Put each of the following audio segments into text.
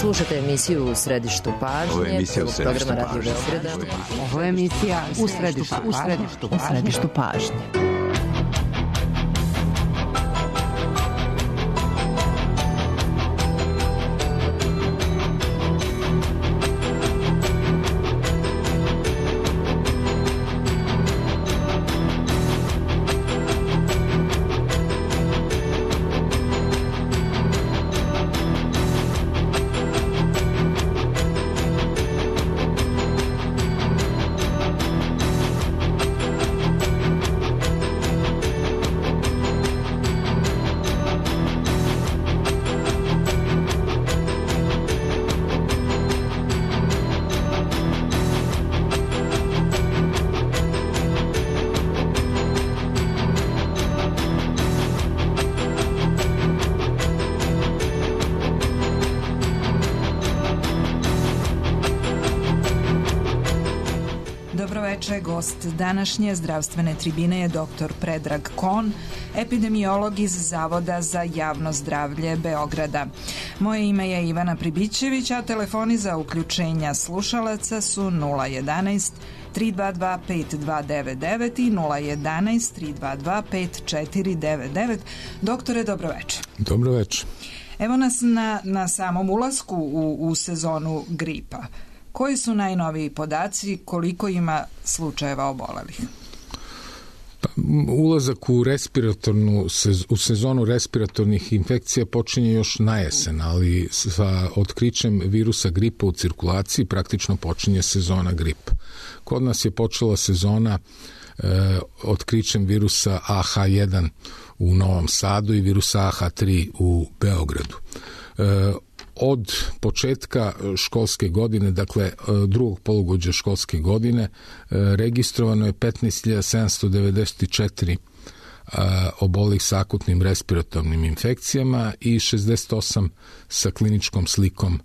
Slušate emisiju U središtu pažnje, programa Radio Beograda. Ovo je emisija U središtu pažnje. Gost današnje zdravstvene tribine je dr. Predrag Kon, epidemiolog iz Zavoda za javno zdravlje Beograda. Moje ime je Ivana Pribićević, a telefoni za uključenja slušalaca su 011 322 5299 i 011 322 5499. Doktore, dobroveče. Dobroveče. Evo nas na samom ulasku u sezonu gripa. Koji su najnoviji podaci, koliko ima slučajeva obolelih? Ulazak u sezonu respiratornih infekcija počinje još na jesen, ali sa otkrićem virusa gripa u cirkulaciji praktično počinje sezona gripa. Kod nas je počela sezona otkrićem virusa AH1 u Novom Sadu i virusa AH3 u Beogradu. Od početka školske godine, dakle drugog polugodišta školske godine, registrovano je 15.794 obolelih sa akutnim respiratornim infekcijama i 68 sa kliničkom slikom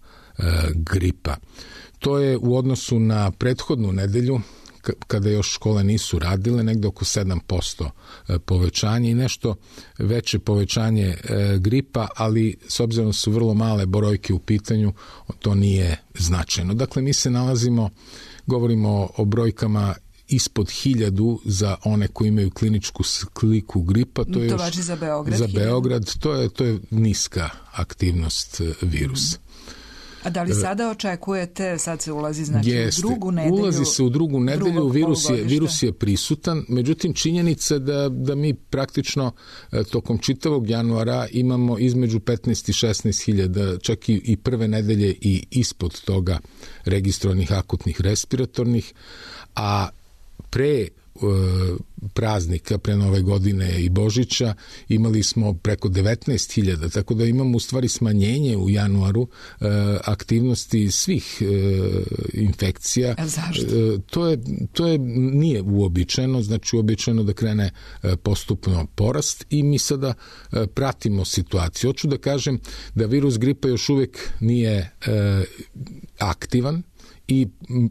gripa. To je u odnosu na prethodnu nedelju, kada još škole nisu radile, negde oko 7% povećanje i nešto veće povećanje gripa, ali s obzirom da su vrlo male brojke u pitanju, to nije značajno. Dakle, mi se govorimo o brojkama ispod 1000 za one koji imaju kliničku sliku gripa. To važi za Beograd? Za Beograd, to je niska aktivnost virusa. A da li sada očekujete, sad se ulazi u drugu nedelju? Ulazi se u drugu nedelju, virus je prisutan, međutim činjenica da mi praktično tokom čitavog januara imamo između 15 i 16 hiljada, čak i prve nedelje i ispod toga registrovanih akutnih respiratornih, a pre praznika, pre Nove godine i Božića imali smo preko 19.000, tako da imamo u stvari smanjenje u januaru aktivnosti svih infekcija. Zašto? To nije uobičajeno, znači uobičajeno da krene postupno porast i mi sada pratimo situaciju. Hoću da kažem da virus gripa još uvijek nije aktivan, i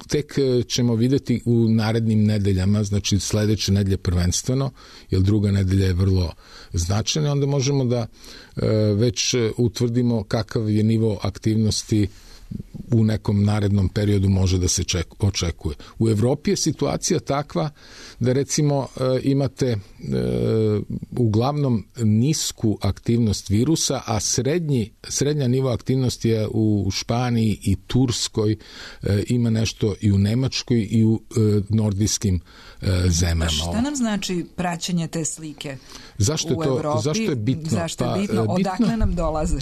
tek ćemo vidjeti u narednim nedeljama, znači sledeće nedelje prvenstveno, jer druga nedelja je vrlo značajna, onda možemo da već utvrdimo kakav je nivo aktivnosti u nekom narednom periodu može da se očekuje. U Evropi je situacija takva da recimo imate uglavnom nisku aktivnost virusa, a srednja nivo aktivnosti je u Španiji i Turskoj, ima nešto i u Nemačkoj i u nordijskim zemljama. Šta nam znači praćenje te slike u Evropi? Zašto je bitno? Zašto je bitno? Odakle nam dolaze?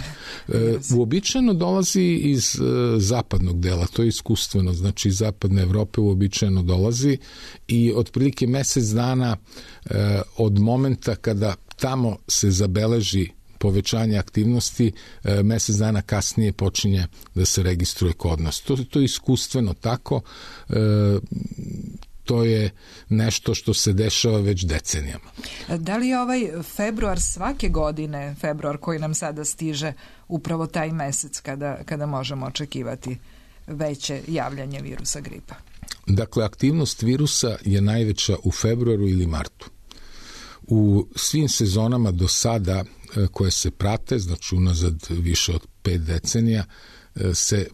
Uobičajeno dolazi iz zapadnog dela, to je iskustveno, znači iz zapadne Evrope uobičajeno dolazi i otprilike mesec dana od momenta kada tamo se zabeleži povećanje aktivnosti, mesec dana kasnije počinje da se registruje kod nas. To je iskustveno tako, to je nešto što se dešava već decenijama. Da li je ovaj februar svake godine, februar koji nam sada stiže, upravo taj mesec kada možemo očekivati veće javljanje virusa gripa? Dakle, aktivnost virusa je najveća u februaru ili martu. U svim sezonama do sada koje se prate, znači unazad više od 5 decenija, se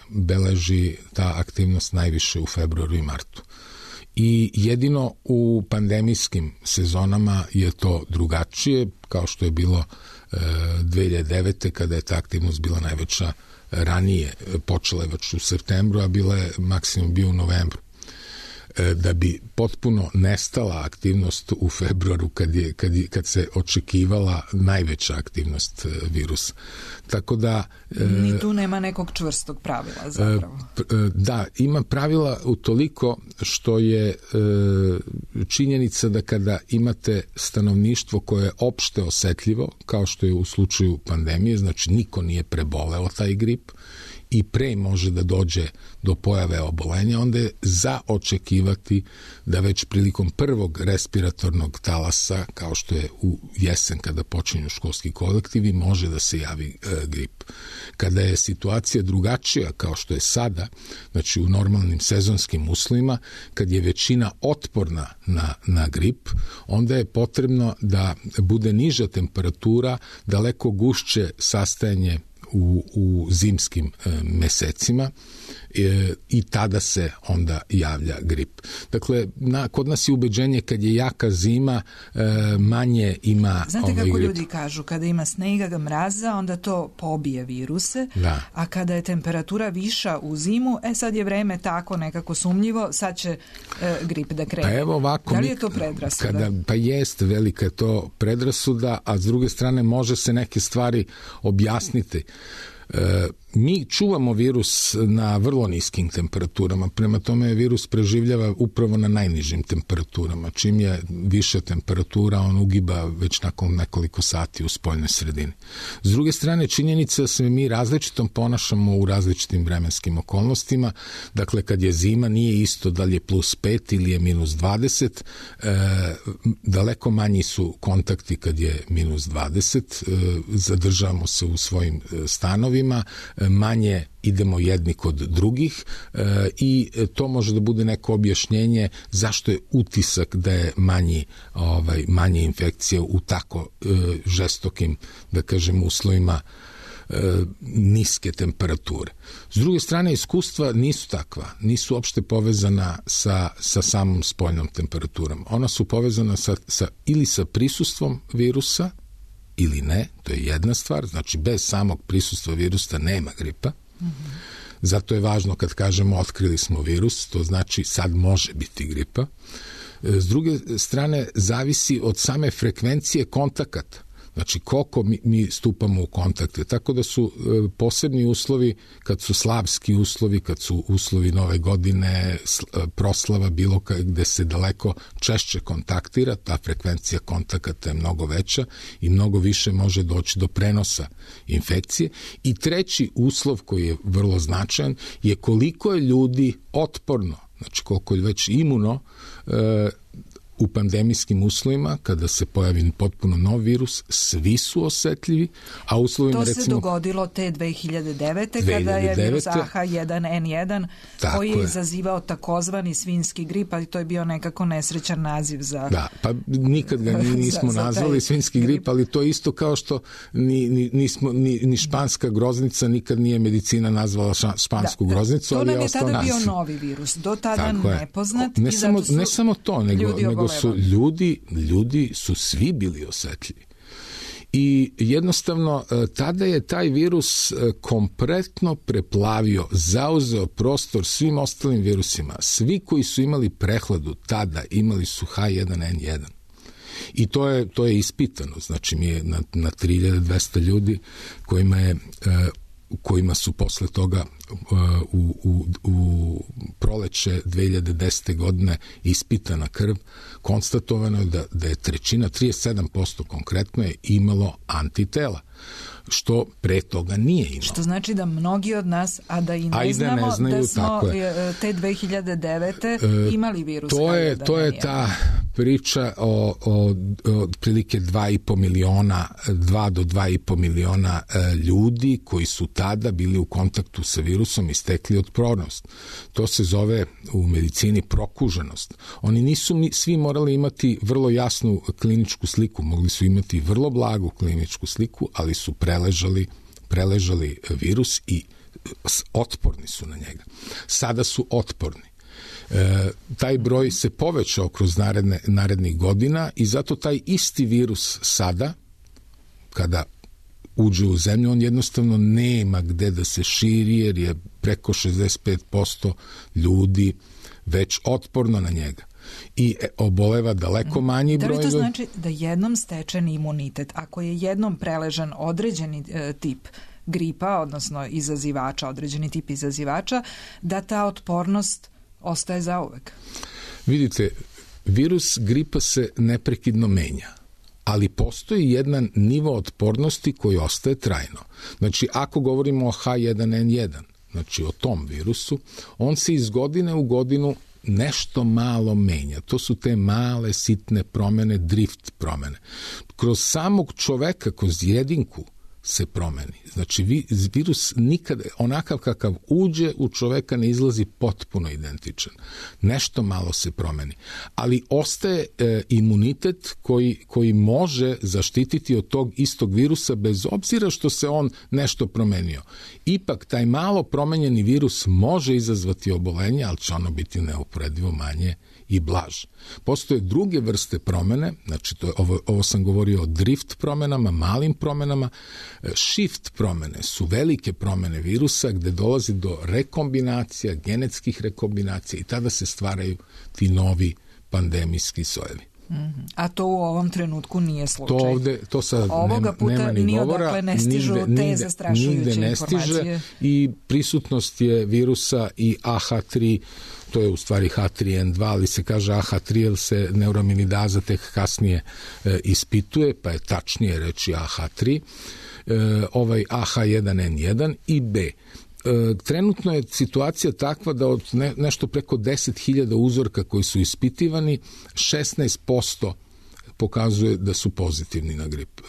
beleži ta aktivnost najviše u februaru i martu. I jedino u pandemijskim sezonama je to drugačije, kao što je bilo 2009. kada je ta aktivnost bila najveća ranije, počela je već u septembru, a bila je maksimum bio u novembru. Da bi potpuno nestala aktivnost u februaru kad se očekivala najveća aktivnost virusa. Tako da... Ni tu nema nekog čvrstog pravila zapravo. Da, ima pravila utoliko što je činjenica da kada imate stanovništvo koje je opšte osetljivo, kao što je u slučaju pandemije, znači niko nije preboleo taj grip, i pre može da dođe do pojave obolenja, onda je za očekivati da već prilikom prvog respiratornog talasa, kao što je u jesen kada počinju školski kolektivi, može da se javi grip. Kada je situacija drugačija, kao što je sada, znači u normalnim sezonskim uslovima, kad je većina otporna na grip, onda je potrebno da bude niža temperatura, daleko gušće sastajanje u zimskim mesecima i tada se onda javlja grip. Dakle, kod nas je ubeđenje kad je jaka zima, manje ima Znate kako grip. Ljudi kažu, kada ima snega, mraza, onda to pobije viruse, da. A kada je temperatura viša u zimu, sad je vreme tako nekako sumnjivo, sad će grip da krene. Pa evo ovako, da li je to predrasuda? Pa jeste, velika je to predrasuda, a s druge strane može se neke stvari objasniti. Mi čuvamo virus na vrlo niskim temperaturama, prema tome virus preživljava upravo na najnižim temperaturama. Čim je viša temperatura, on ugiba već nakon nekoliko sati u spoljnoj sredini. S druge strane, činjenica da se mi različitom ponašamo u različitim vremenskim okolnostima. Dakle, kad je zima, nije isto da li je plus 5 ili je minus 20. Daleko manji su kontakti kad je minus 20. Zadržavamo se u svojim stanovima, manje idemo jedni kod drugih i to može da bude neko objašnjenje zašto je utisak da je manje infekcije u tako žestokim, da kažem, uslovima niske temperature. S druge strane, iskustva nisu takva, nisu uopšte povezana sa samom spoljnom temperaturom. Ona su povezana ili sa prisustvom virusa ili ne, to je jedna stvar, znači bez samog prisustva virusa nema gripa. Zato je važno kad kažemo otkrili smo virus, to znači sad može biti gripa. S druge strane, zavisi od same frekvencije kontakata. Znači koliko mi stupamo u kontakte. Tako da su posebni uslovi, kad su slavski uslovi, kad su uslovi nove godine, proslava, bilo gde se daleko češće kontaktira, ta frekvencija kontakata je mnogo veća i mnogo više može doći do prenosa infekcije. I treći uslov koji je vrlo značajan je koliko je ljudi otporno, znači koliko je već imuno u pandemijskim uslovima, kada se pojavi potpuno nov virus, svi su osetljivi, a uslovima to se recimo... dogodilo te 2009. kada je virus AH1N1 koji je izazivao takozvani svinjski grip, ali to je bio nekako nesrećan naziv za... Da, pa nikad ga nismo nazvali svinjski grip, ali to je isto kao što ni španska groznica nikad nije medicina nazvala špansku groznicu, ali je ostao naziv. To nam je tada bio novi virus, do tada nepoznat. Ne samo to, nego su ljudi su svi bili osetljivi. I jednostavno tada je taj virus kompletno preplavio, zauzeo prostor svim ostalim virusima. Svi koji su imali prehladu tada imali su H1N1. I to je ispitano. Znači mi je na 3200 ljudi kojima su posle toga u proleće 2010. godine ispitana krv, konstatovano je da je trećina, 37% konkretno je imalo antitela, što pre toga nije imalo. Što znači da mnogi od nas, a da i ne znamo da smo te 2009. imali virus. To je ta priča o otprilike 2,5 miliona, 2 do 2,5 miliona ljudi koji su tada bili u kontaktu sa virusom i stekli otpornost. To se zove u medicini prokuženost. Oni nisu svi morali imati vrlo jasnu kliničku sliku, mogli su imati vrlo blagu kliničku sliku, ali su preležali preležali virus i otporni su na njega. Sada su otporni. Taj broj se povećao kroz narednih godina i zato taj isti virus sada, kada uđe u zemlju, on jednostavno nema gde da se širi, jer je preko 65% ljudi već otporno na njega i oboleva daleko manji broj. Da li to znači da jednom stečen imunitet, ako je jednom preležan određeni tip gripa, odnosno izazivača, određeni tip izazivača, da ta otpornost ostaje zauvek? Vidite, virus gripa se neprekidno menja, ali postoji jedan nivo otpornosti koji ostaje trajno. Znači, ako govorimo o H1N1, znači o tom virusu, on se iz godine u godinu nešto malo menja. To su te male, sitne promene, drift promene. Kroz samog čoveka, kroz jedinku se promeni. Znači, virus nikada, onakav kakav uđe u čoveka, ne izlazi potpuno identičan. Nešto malo se promeni. Ali ostaje imunitet koji može zaštititi od tog istog virusa bez obzira što se on nešto promenio. Ipak, taj malo promenjeni virus može izazvati obolenje, ali će ono biti neuporedivo manje i blaže. Postoje druge vrste promene, znači ovo sam govorio o drift promenama, malim promenama. Shift promene su velike promene virusa gde dolazi do rekombinacija, genetskih rekombinacija i tada se stvaraju ti novi pandemijski sojevi. A to u ovom trenutku nije slučaj. To sad ovoga puta nema ni govora. Odakle ne stižu te zastrašujuće informacije. I prisutnost je virusa i AH3, to je u stvari H3N2, ali se kaže AH3 jer se neuraminidaza tek kasnije ispituje, pa je tačnije reći AH3, ovaj AH1N1 i B. Trenutno je situacija takva da od nešto preko 10.000 uzorka koji su ispitivani, 16% pokazuje da su pozitivni na grip.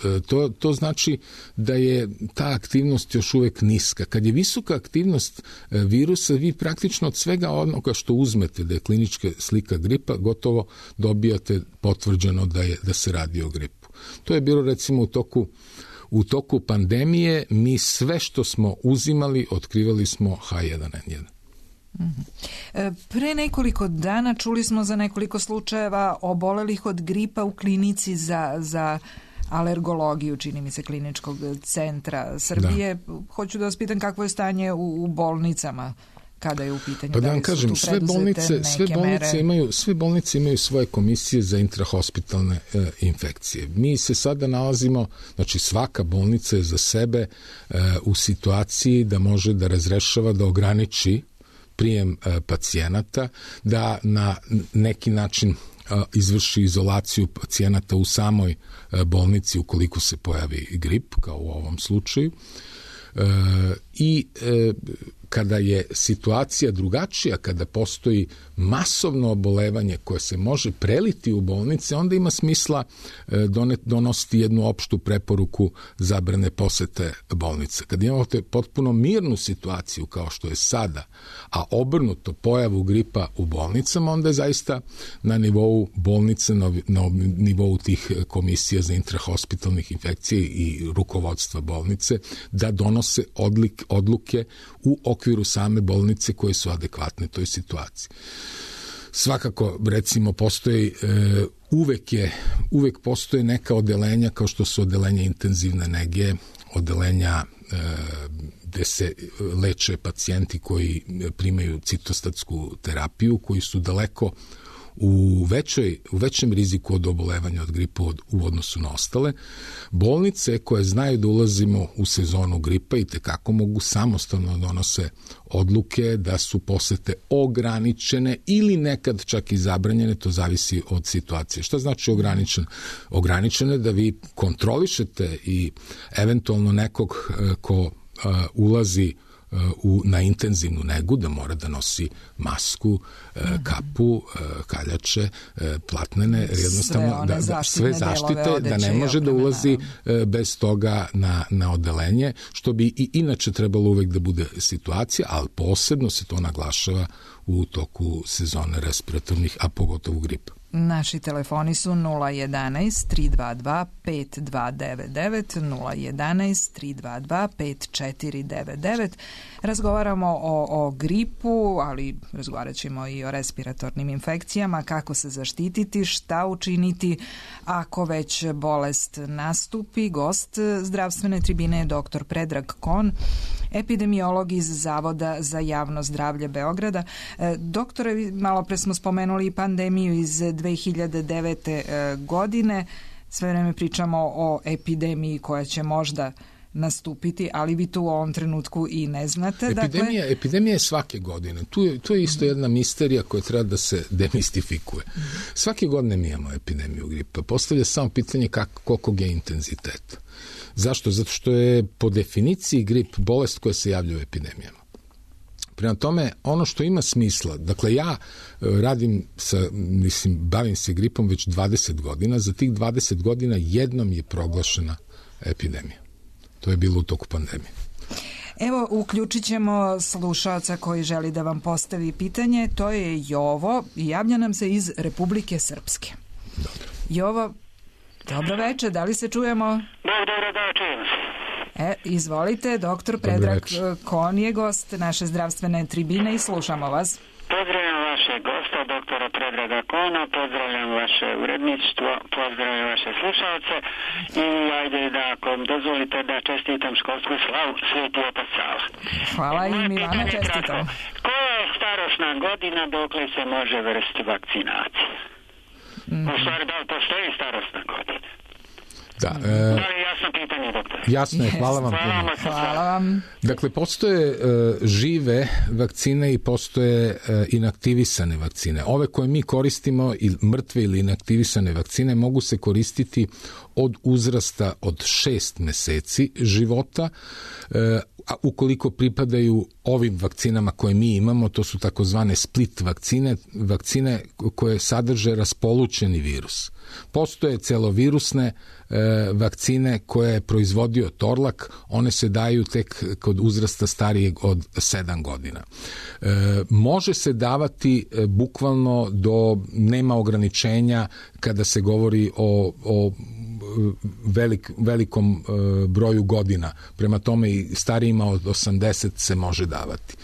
To znači da je ta aktivnost još uvek niska. Kad je visoka aktivnost virusa, vi praktično od svega onoga što uzmete da je klinička slika gripa, gotovo dobijate potvrđeno da se radi o gripu. To je bilo recimo u toku pandemije, mi sve što smo uzimali, otkrivali smo H1N1. Pre nekoliko dana čuli smo za nekoliko slučajeva obolelih od gripa u klinici za alergologiju, čini mi se, Kliničkog centra Srbije. Da. Hoću da vas pitam kakvo je stanje u bolnicama kada je u pitanju. Pa da vam kažem, sve bolnice imaju svoje komisije za intrahospitalne infekcije. Mi se sada nalazimo, znači svaka bolnica je za sebe u situaciji da može da razrešava, da ograniči prijem pacijenata, da na neki način izvrši izolaciju pacijenata u samoj bolnici ukoliko se pojavi grip, kao u ovom slučaju. Kada je situacija drugačija, kada postoji masovno obolevanje koje se može preliti u bolnice, onda ima smisla donositi jednu opštu preporuku zabrane posete bolnice. Kad imate potpuno mirnu situaciju kao što je sada, a obrnuto pojavu gripa u bolnicama, onda je zaista na nivou bolnice, na nivou tih komisija za intrahospitalnih infekcije i rukovodstva bolnice da donose odluke u okviru same bolnice koje su adekvatne toj situaciji. Svakako, recimo, uvek postoje neka odelenja kao što su odelenja intenzivne nege, odelenja gde se leče pacijenti koji primaju citostatsku terapiju, koji su daleko u većem riziku od obolevanja od gripa u odnosu na ostale. Bolnice koje znaju da ulazimo u sezonu gripa i tekako mogu samostalno donose odluke da su posete ograničene ili nekad čak i zabranjene, to zavisi od situacije. Šta znači ograničen? Ograničene da vi kontrolišete i eventualno nekog ko ulazi na intenzivnu negu, da mora da nosi masku, kapu, kaljače, platnene, jednostavno sve zaštite, da ne može da ulazi bez toga na odelenje, što bi i inače trebalo uvek da bude situacija, ali posebno se to naglašava u toku sezone respiratornih, a pogotovo gripa. Naši telefoni su 011-322-5299, 011-322-5499. Razgovaramo o gripu, ali razgovarat ćemo i o respiratornim infekcijama, kako se zaštititi, šta učiniti ako već bolest nastupi. Gost zdravstvene tribine je dr. Predrag Kon, epidemiolog iz Zavoda za javno zdravlje Beograda. Doktore, malo pre smo spomenuli pandemiju iz 2009. godine. Sve vreme pričamo o epidemiji koja će možda nastupiti, ali vi tu u ovom trenutku i ne znate. Epidemija je svake godine. Tu je isto jedna misterija koja treba da se demistifikuje. Svake godine mi imamo epidemiju gripa. Postavlja samo pitanje kolikog je intenziteta. Zašto? Zato što je po definiciji grip bolest koja se javlja u epidemijama. Prema tome, ono što ima smisla, dakle ja bavim se gripom već 20 godina, za tih 20 godina jednom je proglašena epidemija. To je bilo u toku pandemije. Evo, uključit ćemo slušaoca koji želi da vam postavi pitanje, to je Jovo i javlja nam se iz Republike Srpske. Dobro. Jovo, dobro večer, da li se čujemo? Dobro, da čujem se. Izvolite, doktor Predrag Kon je gost naše zdravstvene tribine i slušamo vas. Pozdravljam vaše gosta, doktora Predraga Kona, pozdravljam vaše uredništvo, pozdravljam vaše slušalce i ajde da, ako dozvolite, da čestitam školsku slavu Sveti Otac Sava. Hvala i mi vama čestitam. Koja je starosna godina dokle se može vršiti vakcinacija? U stvari, da li postoji starosna godina? Da li je jasno pitanje, doktor? Jasno je, hvala vam. Hvala vam. Dakle, postoje žive vakcine i postoje inaktivisane vakcine. Ove koje mi koristimo, mrtve ili inaktivisane vakcine, mogu se koristiti od uzrasta od 6 meseci života, a ukoliko pripadaju ovim vakcinama koje mi imamo, to su takozvane split vakcine koje sadrže raspolućeni virus. Postoje celovirusne vakcine koje je proizvodio Torlak, one se daju tek kod uzrasta starijeg od 7 godina. Može se davati bukvalno nema ograničenja kada se govori o velikom broju godina. Prema tome i starijima od 80 se može davati.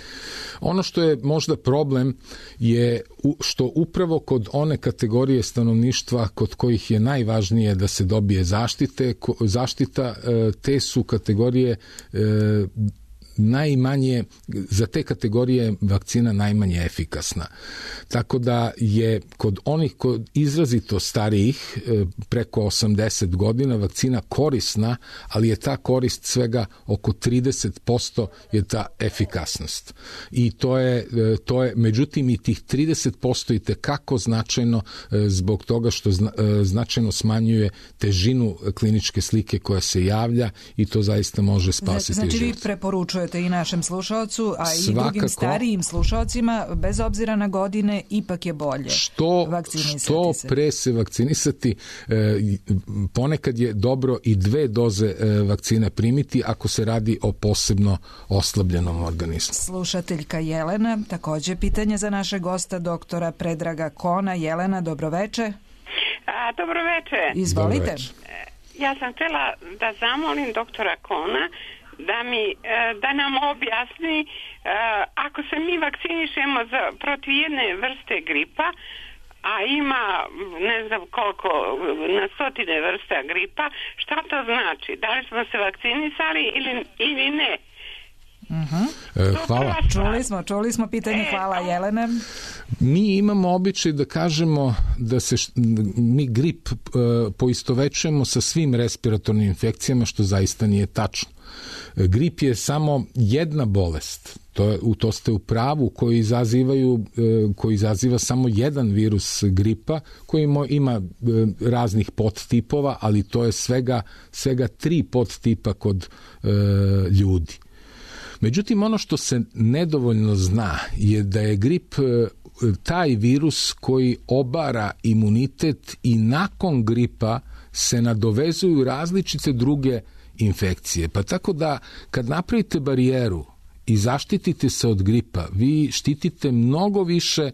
Ono što je možda problem je što upravo kod one kategorije stanovništva kod kojih je najvažnije da se dobije zaštita, te su kategorije najmanje, za te kategorije vakcina najmanje efikasna. Tako da je kod onih izrazito starijih preko 80 godina vakcina korisna, ali je ta korist svega oko 30% je ta efikasnost. I to je međutim i tih 30% i tekako značajno zbog toga što značajno smanjuje težinu kliničke slike koja se javlja i to zaista može spasiti život. Znači vi preporučujete i našem slušaocu, a i drugim starijim slušaocima, bez obzira na godine, ipak je bolje vakcinisati se. Što pre se vakcinisati, ponekad je dobro i 2 doze vakcine primiti ako se radi o posebno oslabljenom organizmu. Slušateljka Jelena, takođe pitanje za našeg gosta, doktora Predraga Kona. Jelena, dobroveče. Dobroveče. Izvolite. Dobroveče. Ja sam htjela da zamolim doktora Kona da nam objasni ako se mi vakcinišemo protiv jedne vrste gripa, a ima ne znam koliko, na stotine vrsta gripa, šta to znači? Da li smo se vakcinisali ili ne? Hvala. Čuli smo pitanje, hvala Jelene. Mi imamo običaj da kažemo da mi grip poistovećujemo sa svim respiratornim infekcijama, što zaista nije tačno. Grip je samo jedna bolest, to ste u pravu, koji izaziva samo jedan virus gripa, koji ima raznih podtipova, ali to je svega 3 podtipa kod ljudi. Međutim, ono što se nedovoljno zna je da je grip taj virus koji obara imunitet i nakon gripa se nadovezuju različite druge infekcije. Pa tako da kad napravite barijeru i zaštitite se od gripa, vi štitite mnogo više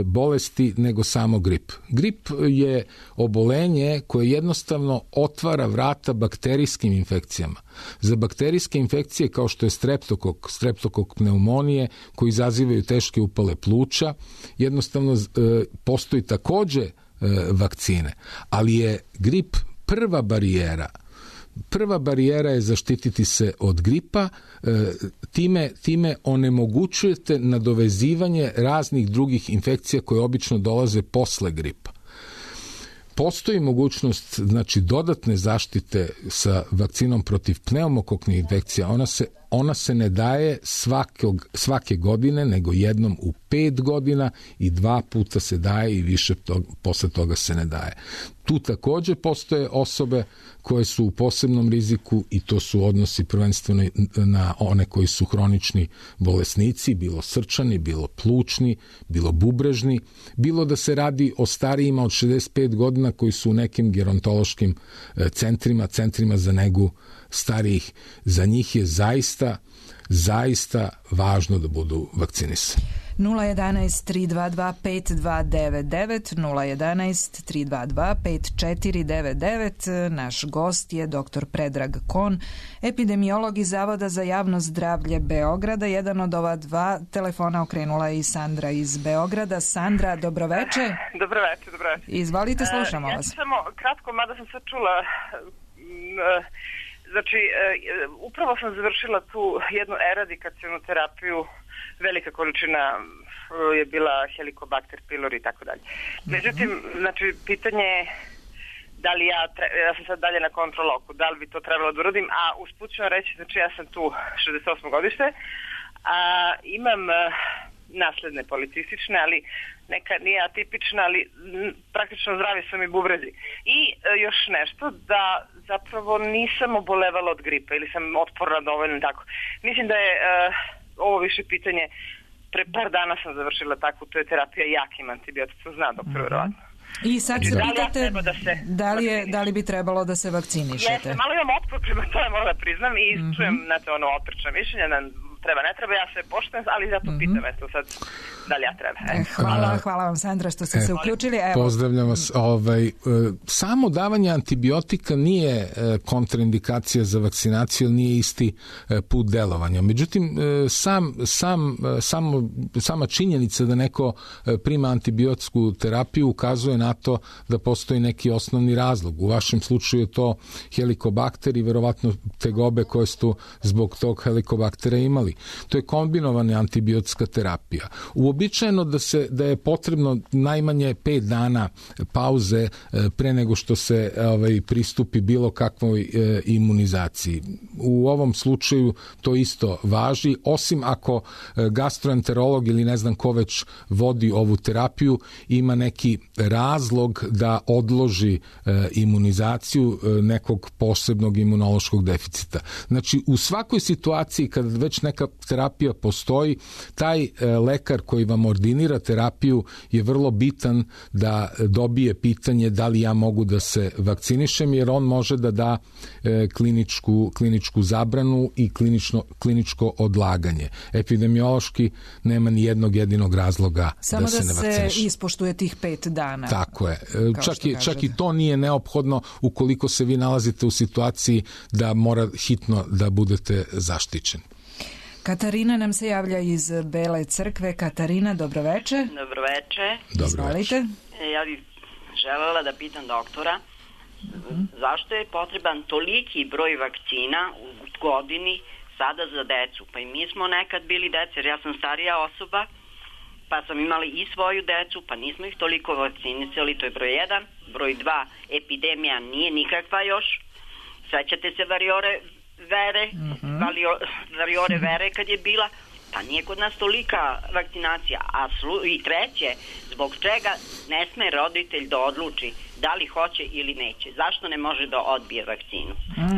bolesti nego samo grip. Grip je obolenje koje jednostavno otvara vrata bakterijskim infekcijama. Za bakterijske infekcije kao što je streptokok pneumonije koji izazivaju teške upale pluća, jednostavno postoji takođe vakcine, ali je grip prva barijera. Prva barijera je zaštititi se od gripa, time onemogućujete nadovezivanje raznih drugih infekcija koje obično dolaze posle gripa. Postoji mogućnost, znači, dodatne zaštite sa vakcinom protiv pneumokoknih infekcija. Ona se ne daje svake godine, nego jednom u 5 godina i 2 puta se daje i više posle toga se ne daje. Tu takođe postoje osobe koje su u posebnom riziku i to su odnosi prvenstveno na one koji su hronični bolesnici, bilo srčani, bilo plućni, bilo bubrežni, bilo da se radi o starijima od 65 godina koji su u nekim gerontološkim centrima za negu starijih. Za njih je zaista važno da budu vakcinisani. 011-322-5299, 011-322-5499. Naš gost je dr. Predrag Kon, epidemiolog iz Zavoda za javno zdravlje Beograda. Jedan od ova 2 telefona okrenula je i Sandra iz Beograda. Sandra, dobroveče. Dobroveče. Izvolite, slušamo vas. Ja samo kratko, mada sam sad čula... Znači, upravo sam završila tu jednu eradikacionu terapiju, velika količina je bila Helicobacter pylori i tako dalje. Međutim, znači, pitanje je da li ja sam sad dalje na kontroloku, da li bi to trebalo da uradim, a usput ću vam reći, znači ja sam tu 68. godište, a imam nasledne policistične, ali neka nije atipična, ali praktično zdravi su mi bubrezi. I još nešto, da zapravo nisam obolevala od gripa ili sam otporna dovoljno tako. Mislim da je ovo više pitanje, pre par dana sam završila takvu, to je terapija jakim antibioticom, zna doktor verovatno. I sad se pitate da li bi trebalo da se vakcinišete? Jeste, malo imam otpor prema tome, moram da priznam, i čujem, znate, ono otrčna mišljenja, treba, ne treba, ja se poštujem, ali zato pitam, eto sad, da li ja treba. Hvala vam, Sandra, što ste se uključili. Pozdravljam vas. Samo davanje antibiotika nije kontraindikacija za vakcinaciju, nije isti put delovanja. Međutim, sama činjenica da neko prima antibiotsku terapiju ukazuje na to da postoji neki osnovni razlog. U vašem slučaju je to helikobakter i verovatno tegobe koje ste zbog tog helikobaktera imali. To je kombinovana antibiotska terapija. Uobičajeno da je potrebno najmanje 5 dana pauze pre nego što se pristupi bilo kakvoj imunizaciji. U ovom slučaju to isto važi, osim ako gastroenterolog ili ne znam ko već vodi ovu terapiju ima neki razlog da odloži imunizaciju nekog posebnog imunološkog deficita. Znači, u svakoj situaciji kad već neka terapija postoji, taj lekar koji vam ordinira terapiju je vrlo bitan da dobije pitanje da li ja mogu da se vakcinišem, jer on može da da kliničku zabranu i kliničko odlaganje. Epidemiološki nema ni jednog jedinog razloga da se ne vakciniše. Samo da se ispoštuje tih 5 dana. Tako je. Čak i to nije neophodno ukoliko se vi nalazite u situaciji da mora hitno da budete zaštićeni. Katarina nam se javlja iz Bele Crkve. Katarina, dobroveče. Dobroveče. Izvolite. Ja bih želela da pitam doktora zašto je potreban toliki broj vakcina u godini sada za decu. Pa i mi smo nekad bili deca, jer ja sam starija osoba, pa sam imali i svoju decu, pa nismo ih toliko vakcinisali, to je broj 1. Broj 2, epidemija nije nikakva još. Sećate se variore vere kad je bila, pa nije kod nas tolika vakcinacija. I treće, zbog čega ne sme roditelj da odluči da li hoće ili neće? Zašto ne može da odbije vakcinu?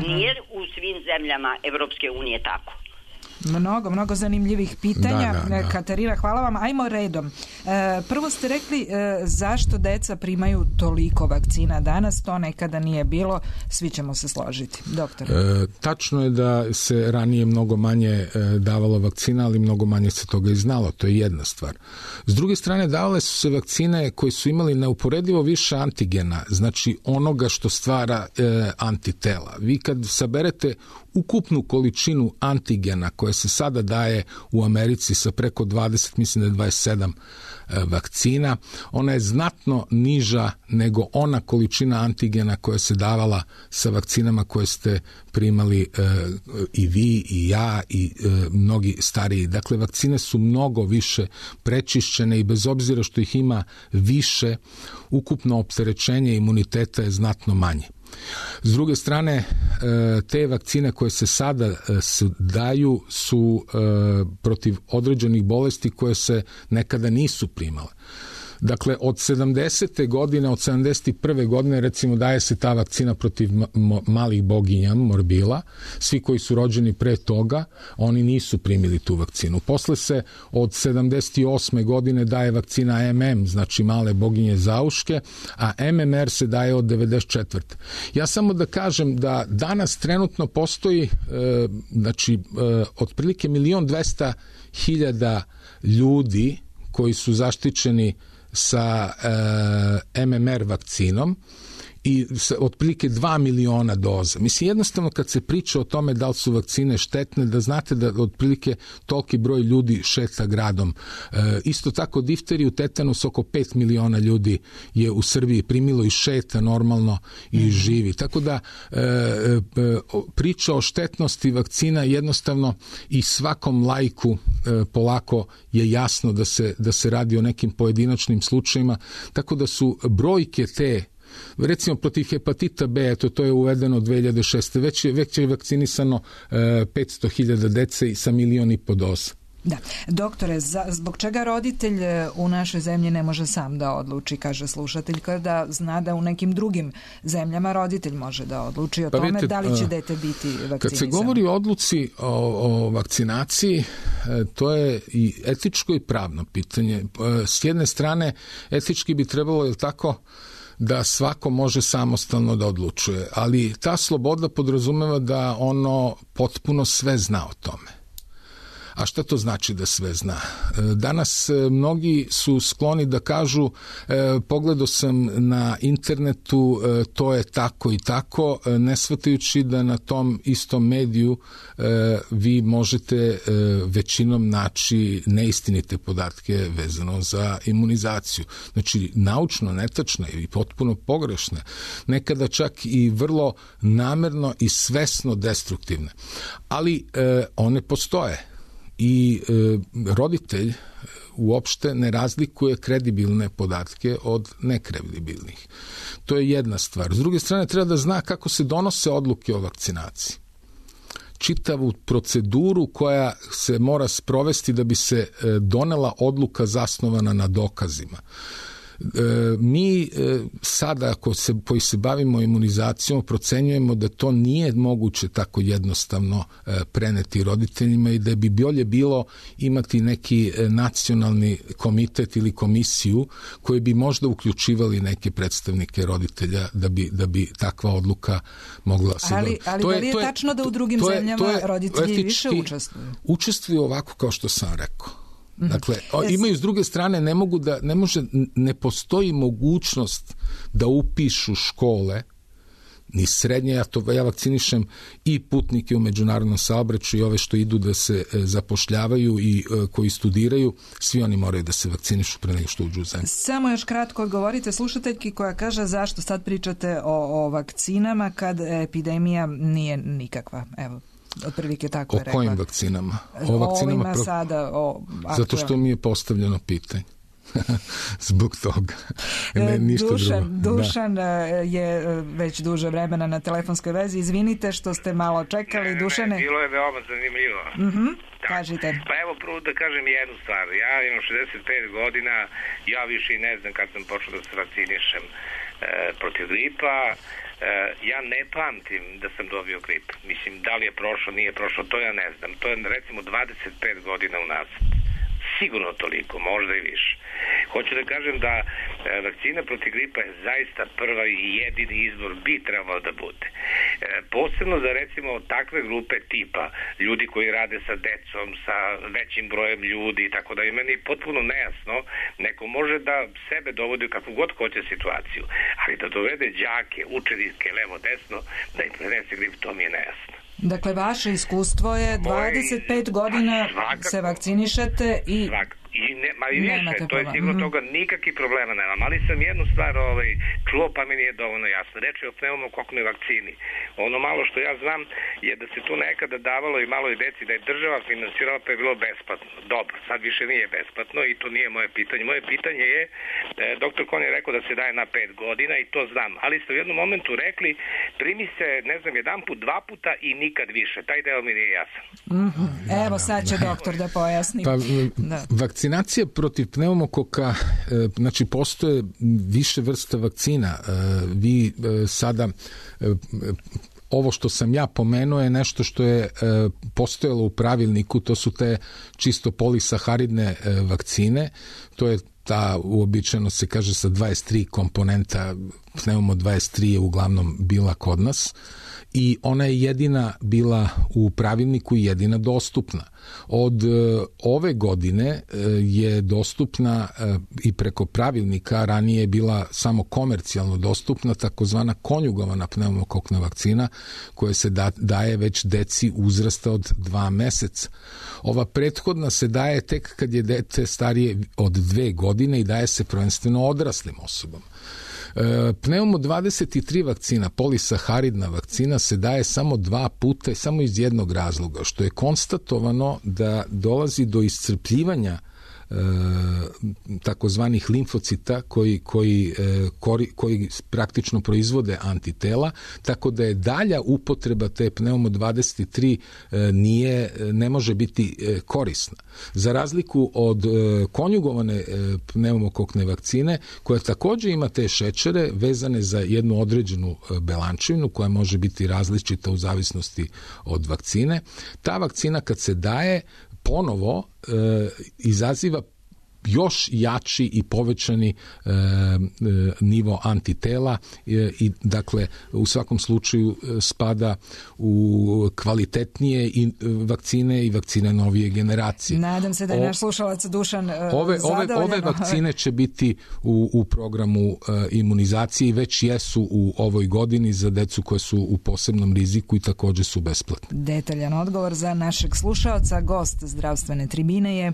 Nije u svim zemljama Evropske unije tako. Mnogo zanimljivih pitanja. Da. Katarina, hvala vam. Ajmo redom. Prvo ste rekli zašto deca primaju toliko vakcina danas, to nekada nije bilo, svi ćemo se složiti. Doktor. Tačno je da se ranije mnogo manje davalo vakcina, ali mnogo manje se toga i znalo, to je jedna stvar. S druge strane, davale su se vakcine koji su imali neuporedivo više antigena, znači onoga što stvara antitela. Vi kad saberete ukupnu količinu antigena koja se sada daje u Americi sa preko 20, mislim da je 27 vakcina, ona je znatno niža nego ona količina antigena koja se davala sa vakcinama koje ste primali i vi i ja i mnogi stariji. Dakle, vakcine su mnogo više prečišćene i bez obzira što ih ima više, ukupno opterećenje imuniteta je znatno manje. S druge strane, te vakcine koje se sada daju su protiv određenih bolesti koje se nekada nisu primale. Dakle, od 70. godine, od 71. godine, recimo, daje se ta vakcina protiv malih boginja, morbila. Svi koji su rođeni pre toga, oni nisu primili tu vakcinu. Posle se od 78. godine daje vakcina MM, znači male boginje zauške, a MMR se daje od 94. Ja samo da kažem da danas trenutno postoji, otprilike 1.200.000 ljudi koji su zaštićeni sa MMR vakcinom i otprilike 2 miliona doza. Mislim, jednostavno kad se priča o tome da li su vakcine štetne, da znate da otprilike toliki broj ljudi šeta gradom. Isto tako difteriju, tetanus, oko 5 miliona ljudi je u Srbiji primilo i šeta normalno i živi. Tako da priča o štetnosti vakcina jednostavno i svakom laiku polako je jasno da se radi o nekim pojedinačnim slučajima, tako da su brojke te, recimo protiv hepatita B, to je uvedeno 2006. Već je vakcinisano 500.000 dece i sa 1,5 miliona doza. Da. Doktore, zbog čega roditelj u našoj zemlji ne može sam da odluči, kaže slušatelj, kada zna da u nekim drugim zemljama roditelj može da odluči o tome da li će dete biti vakcinisano? Kad se govori o odluci o vakcinaciji, to je i etičko i pravno pitanje. S jedne strane, etički bi trebalo, je li tako, da svako može samostalno da odlučuje, ali ta sloboda podrazumeva da ono potpuno sve zna o tome. A šta to znači da sve zna? Danas mnogi su skloni da kažu pogledao sam na internetu, to je tako i tako, ne shvatajući da na tom istom mediju vi možete većinom naći neistinite podatke vezano za imunizaciju. Znači, naučno netačne i potpuno pogrešne, nekada čak i vrlo namerno i svesno destruktivne. Ali one postoje. I roditelj uopšte ne razlikuje kredibilne podatke od nekredibilnih. To je jedna stvar. S druge strane, treba da zna kako se donose odluke o vakcinaciji. Čitavu proceduru koja se mora sprovesti da bi se donela odluka zasnovana na dokazima. Mi sada koji se bavimo imunizacijom procenjujemo da to nije moguće tako jednostavno preneti roditeljima i da bi bolje bilo imati neki nacionalni komitet ili komisiju koji bi možda uključivali neke predstavnike roditelja da bi takva odluka mogla se... Ali da li je tačno da u drugim zemljama roditelji više učestvuju? Učestvuju ovako kao što sam rekao. Dakle, imaju s druge strane, ne postoji mogućnost da upišu škole, ni srednje, ja vakcinišem i putnike u međunarodnom saobraćaju i ove što idu da se zapošljavaju i koji studiraju, svi oni moraju da se vakcinišu pre nego što uđu u zemlju. Samo još kratko odgovorite slušateljki koja kaže zašto sad pričate o vakcinama kad epidemija nije nikakva. Evo. Otprilike tako je rekla. O kojim vakcinama? Ovima sada. Zato što mi je postavljeno pitanje. Zbog toga. Dušan je već duže vremena na telefonskoj vezi. Izvinite što ste malo čekali. Dušane. Bilo je veoma zanimljivo. Kažite. Pa evo prvo da kažem jednu stvar. Ja imam 65 godina, ja više i ne znam kad sam počeo da se vakcinišem protiv gripa. ja ne pamtim da sam dobio grip. Mislim, da li je prošlo, nije prošlo, to ja ne znam. To je recimo 25 godina unazad. Sigurno toliko, možda i više. Hoću da kažem da vakcina protiv gripa je zaista prva i jedini izbor bi trebalo da bude. Posebno za recimo takve grupe tipa ljudi koji rade sa decom, sa većim brojem ljudi i tako da je meni potpuno nejasno. Neko može da sebe dovodi u kakvu god hoće situaciju, ali da dovede đake, učenike, levo, desno, da im prenese grip, to mi je nejasno. Dakle, vaše iskustvo je 25 godina se vakcinišete i više, to je sigurno toga nikakvih problema nemam, ali sam jednu stvar čuo pa mi nije dovoljno jasno. Reč je o pneumokoknoj vakcini. Ono malo što ja znam je da se tu nekada davalo i maloj deci, da je država finansirala pa je bilo besplatno. Dobro, sad više nije besplatno i to nije moje pitanje. Moje pitanje je, doktor Kon je rekao da se daje na 5 godina i to znam, ali ste u jednom momentu rekli primi se, ne znam, jedan put, 2 puta i nikad više. Taj deo mi nije jasan. Evo sad će doktor da pojasni. Pa, vakcinacija protiv pneumokoka, znači postoje više vrsta vakcina. Vi sada, ovo što sam ja pomenuo je nešto što je postojalo u pravilniku, to su te čisto polisaharidne vakcine, to je ta, uobičajeno se kaže sa 23 komponenta, pneumo 23 je uglavnom bila kod nas i ona je jedina bila u pravilniku i jedina dostupna. Od ove godine je dostupna i preko pravilnika, ranije je bila samo komercijalno dostupna takozvana konjugovana pneumokokna vakcina koja se daje već deci uzrasta od 2 meseca. Ova prethodna se daje tek kad je dete starije od 2 godine i daje se prvenstveno odraslim osobama. Pneumo 23 vakcina, polisaharidna vakcina se daje samo 2 puta i samo iz jednog razloga, što je konstatovano da dolazi do iscrpljivanja takozvanih limfocita koji praktično proizvode antitela, tako da je dalja upotreba te pneumo 23 ne može biti korisna. Za razliku od konjugovane pneumokokne vakcine, koja također ima te šećere vezane za jednu određenu belančevinu koja može biti različita u zavisnosti od vakcine, ta vakcina kad se daje ponovo izaziva još jači i povećani nivo antitela i dakle u svakom slučaju spada u kvalitetnije i vakcine novije generacije. Nadam se da je naš slušalac Dušan zadovoljan. Ove vakcine će biti u programu imunizacije i već jesu u ovoj godini za decu koje su u posebnom riziku i također su besplatne. Detaljan odgovor za našeg slušaoca, gost zdravstvene tribine je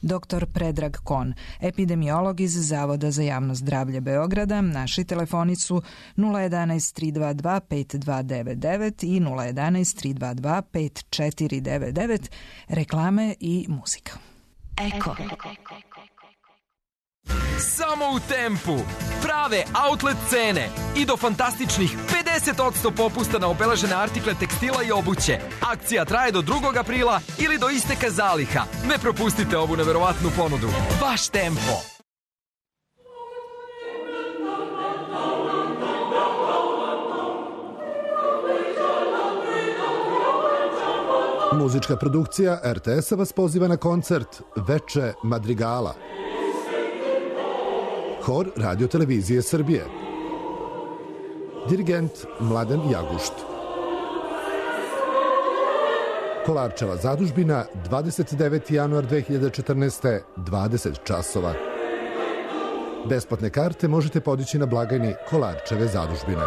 dr. Predrag Kon, epidemiolog iz Zavoda za javno zdravlje Beograda. Naši telefoni su 011 322 5299 i 011 322 5499, reklame i muzika. Eko. Samo u Tempu. Prave outlet cene i do fantastičnih 50% popusta na obeležene artikle tekstila i obuće. Akcija traje do 2. aprila ili do isteka zaliha. Ne propustite ovu neverovatnu ponudu. Baš Tempo. Muzička produkcija RTS-a vas poziva na koncert Veče Madrigala. Hor Radio Televizije Srbije. Dirigent Mladen Jagušt. Kolarčeva zadužbina, 29. januar 2014. 20 časova. Besplatne karte možete podići na blagajni Kolarčeve zadužbine.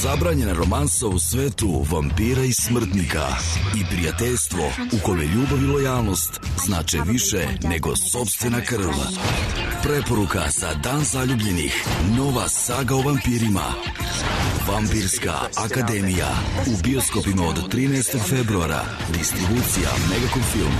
Zabranjena romansa u svetu vampira i smrtnika i prijateljstvo u kome ljubav i lojalnost znače više nego sopstvena krv. Preporuka za Dan zaljubljenih. Nova saga o vampirima. Vampirska akademija. U bioskopima od 13. februara. Distribucija Megacom Film.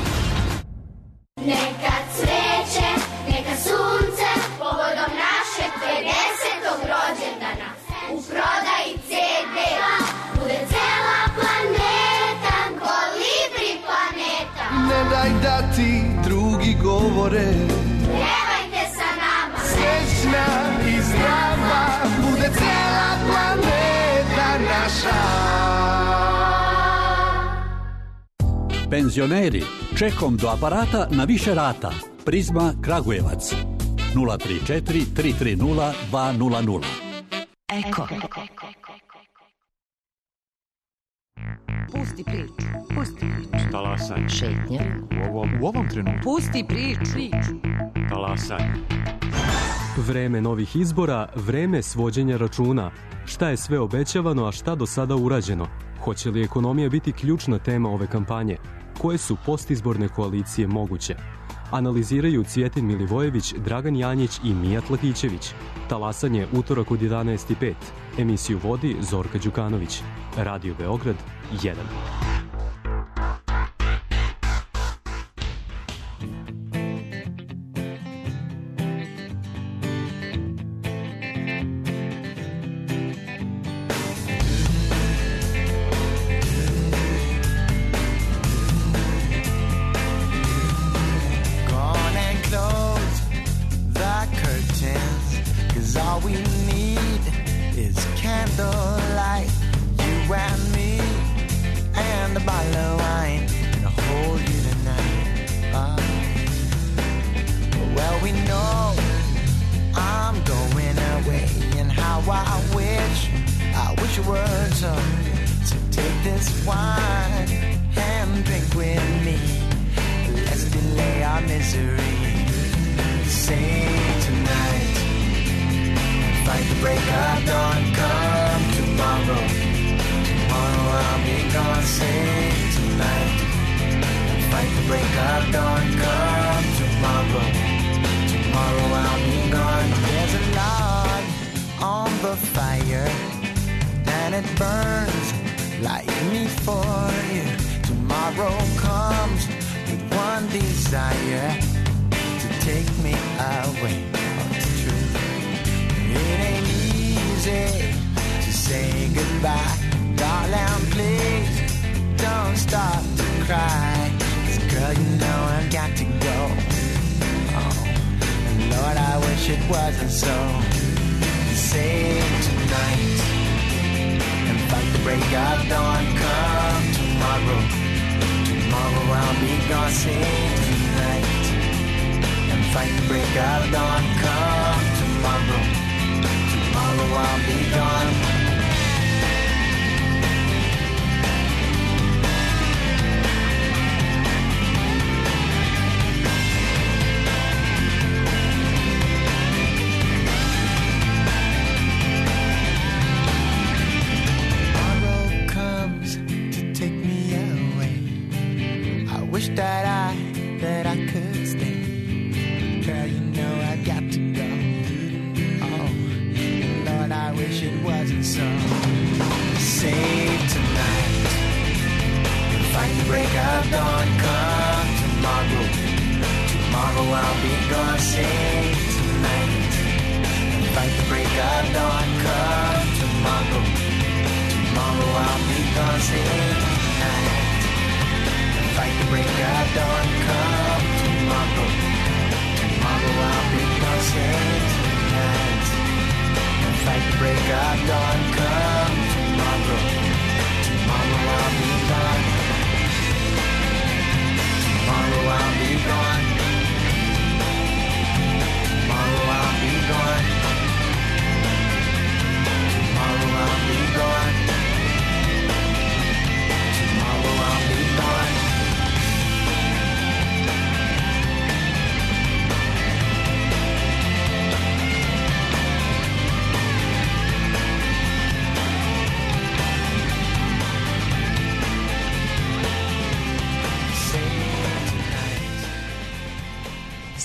Neka cveće, neka sunce, povodom našeg 50. rođendana. U prodaji CD-a bude cela planeta, Kolibri planeta. Ne daj da ti drugi govore, pevajte sa nama. Srećna i zdrava. naša. Penzioneri, čekom do aparata na više rata. Prizma Kragujevac 034 330 200. Eko. Pusti priču. Talasaj. Šetnja. U ovom trenutku. Pusti priču. Talasaj. Vreme novih izbora, vreme svođenja računa. Šta je sve obećavano, a šta do sada urađeno? Hoće li ekonomija biti ključna tema ove kampanje? Koje su postizborne koalicije moguće? Analiziraju Cvjetin Milivojević, Dragan Janjić i Mijat Lakićević. Talasanje utorak od 11:05. Emisiju vodi Zorka Đukanović. Radio Beograd 1.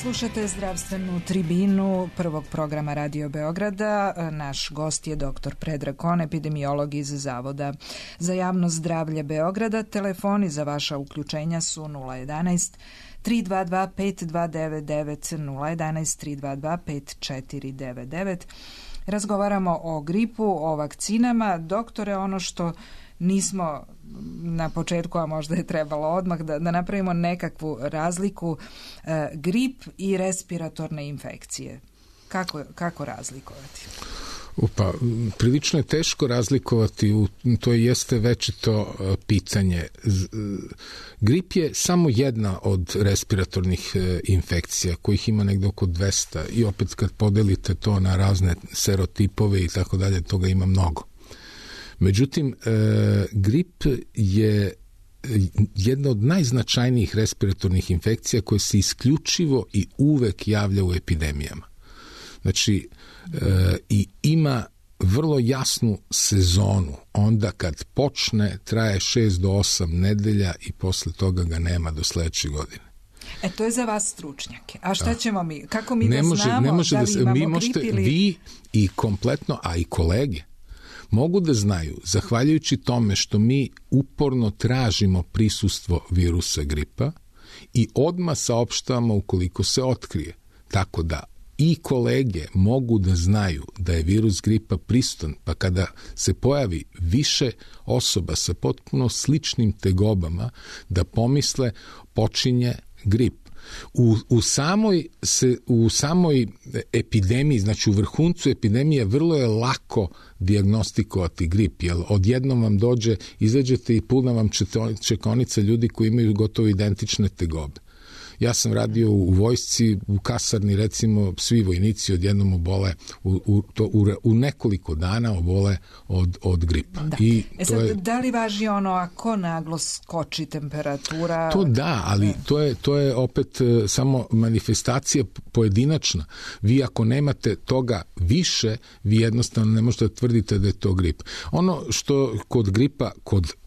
Slušate zdravstvenu tribinu prvog programa Radio Beograda. Naš gost je dr. Predrag Kon, epidemiolog iz Zavoda za javno zdravlje Beograda. Telefoni za vaša uključenja su 011 322 5299, 011 322 5499. Razgovaramo o gripu, o vakcinama. Doktore, ono što nismo na početku, a možda je trebalo odmah da napravimo nekakvu razliku, grip i respiratorne infekcije. Kako razlikovati? Pa, prilično je teško razlikovati, to jeste večito pitanje. Grip je samo jedna od respiratornih infekcija, kojih ima negde oko 200 i opet kad podelite to na razne serotipove i tako dalje, toga ima mnogo. Međutim, grip je jedna od najznačajnijih respiratornih infekcija koja se isključivo i uvek javlja u epidemijama. Znači, i ima vrlo jasnu sezonu. Onda kad počne, traje 6 do 8 nedelja i posle toga ga nema do sledeće godine. To je za vas stručnjake. A šta ćemo mi? Kako mi znamo da li imamo grip ili... Vi i kompletno, a i kolege, mogu da znaju, zahvaljujući tome što mi uporno tražimo prisustvo virusa gripa i odmah saopštavamo ukoliko se otkrije. Tako da i kolege mogu da znaju da je virus gripa prisutan, pa kada se pojavi više osoba sa potpuno sličnim tegobama, da pomisle počinje grip. U samoj epidemiji, znači u vrhuncu epidemije, vrlo je lako dijagnostikovati grip, jer odjednom vam dođe, izađete i puna vam čekaonica ljudi koji imaju gotovo identične tegobe. Ja sam radio u vojsci, u kasarni, recimo, svi vojnici odjednom obole u nekoliko dana obole od gripa. Da. Da li važi ono ako naglo skoči temperatura? To da, ali to je opet samo manifestacija pojedinačna. Vi ako nemate toga više, vi jednostavno ne možete tvrditi da je to grip. Ono što kod gripa,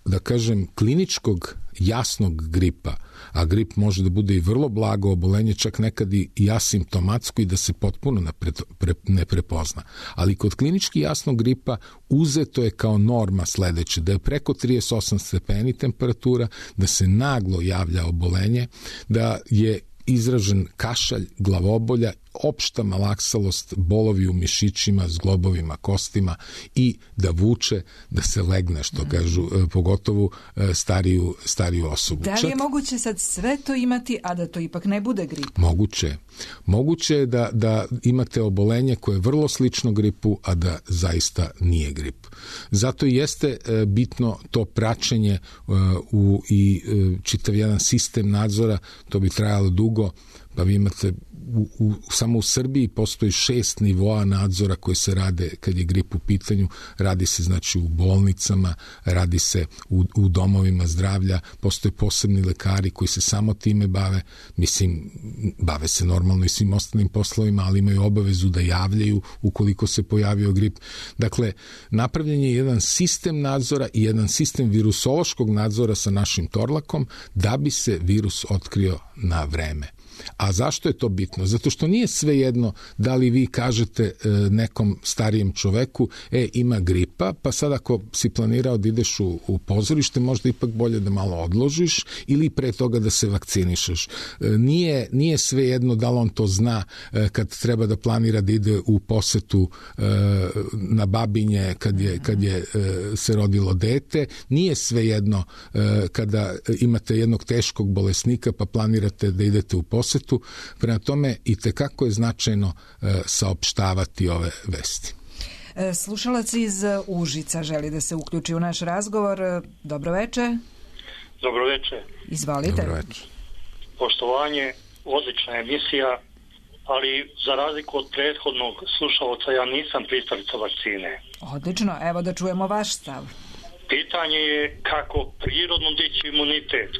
da kažem, kliničkog jasnog gripa, a grip može da bude i vrlo blago obolenje, čak nekad i asimptomatsko i da se potpuno ne prepozna. Ali kod klinički jasnog gripa uzeto je kao norma sledeće, da je preko 38 stepeni temperatura, da se naglo javlja obolenje, da je izražen kašalj, glavobolja, opšta malaksalost, bolovi u mišićima, zglobovima, kostima i da vuče, da se legne, što kažu, pogotovo stariju osobu. Da li je moguće sad sve to imati, a da to ipak ne bude grip? Moguće. Moguće je da imate obolenje koje je vrlo slično gripu, a da zaista nije grip. Zato jeste bitno to praćenje i čitav jedan sistem nadzora, to bi trajalo dugo, pa vi imate samo u Srbiji postoji 6 nivoa nadzora koji se rade kad je grip u pitanju. Radi se znači u bolnicama, radi se u domovima zdravlja, postoje posebni lekari koji se samo time bave, mislim, bave se normalno i svim ostalim poslovima, ali imaju obavezu da javljaju ukoliko se pojavio grip. Dakle, napravljen je jedan sistem nadzora i jedan sistem virusološkog nadzora sa našim Torlakom da bi se virus otkrio na vreme. A zašto je to bitno? Zato što nije svejedno da li vi kažete nekom starijem čoveku ima gripa, pa sad ako si planirao da ideš u pozorište, možda ipak bolje da malo odložiš ili pre toga da se vakcinišeš. Nije svejedno da li on to zna kad treba da planira da ide u posetu na Babinje kad je se rodilo dete. Nije svejedno kada imate jednog teškog bolesnika pa planirate da idete u posetu. Prema tome i tekako je značajno saopštavati ove vesti. Slušalac iz Užica želi da se uključi u naš razgovor. Dobro veče. Dobro veče. Izvolite. Dobro veče. Poštovanje, odlična emisija, ali za razliku od prethodnog slušalca ja nisam pristalica vakcine. Odlično, evo da čujemo vaš stav. Pitanje je kako prirodno dići imunitet,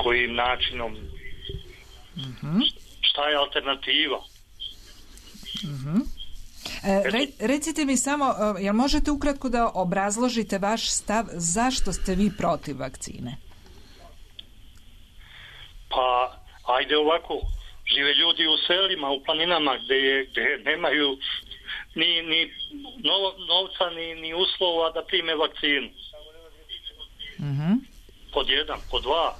kojim načinom. Šta je alternativa? Recite mi samo, jel možete ukratko da obrazložite vaš stav zašto ste vi protiv vakcine? Pa, ajde ovako, žive ljudi u selima, u planinama gde nemaju ni novca, ni uslova da prime vakcinu. Pod 1, pod 2,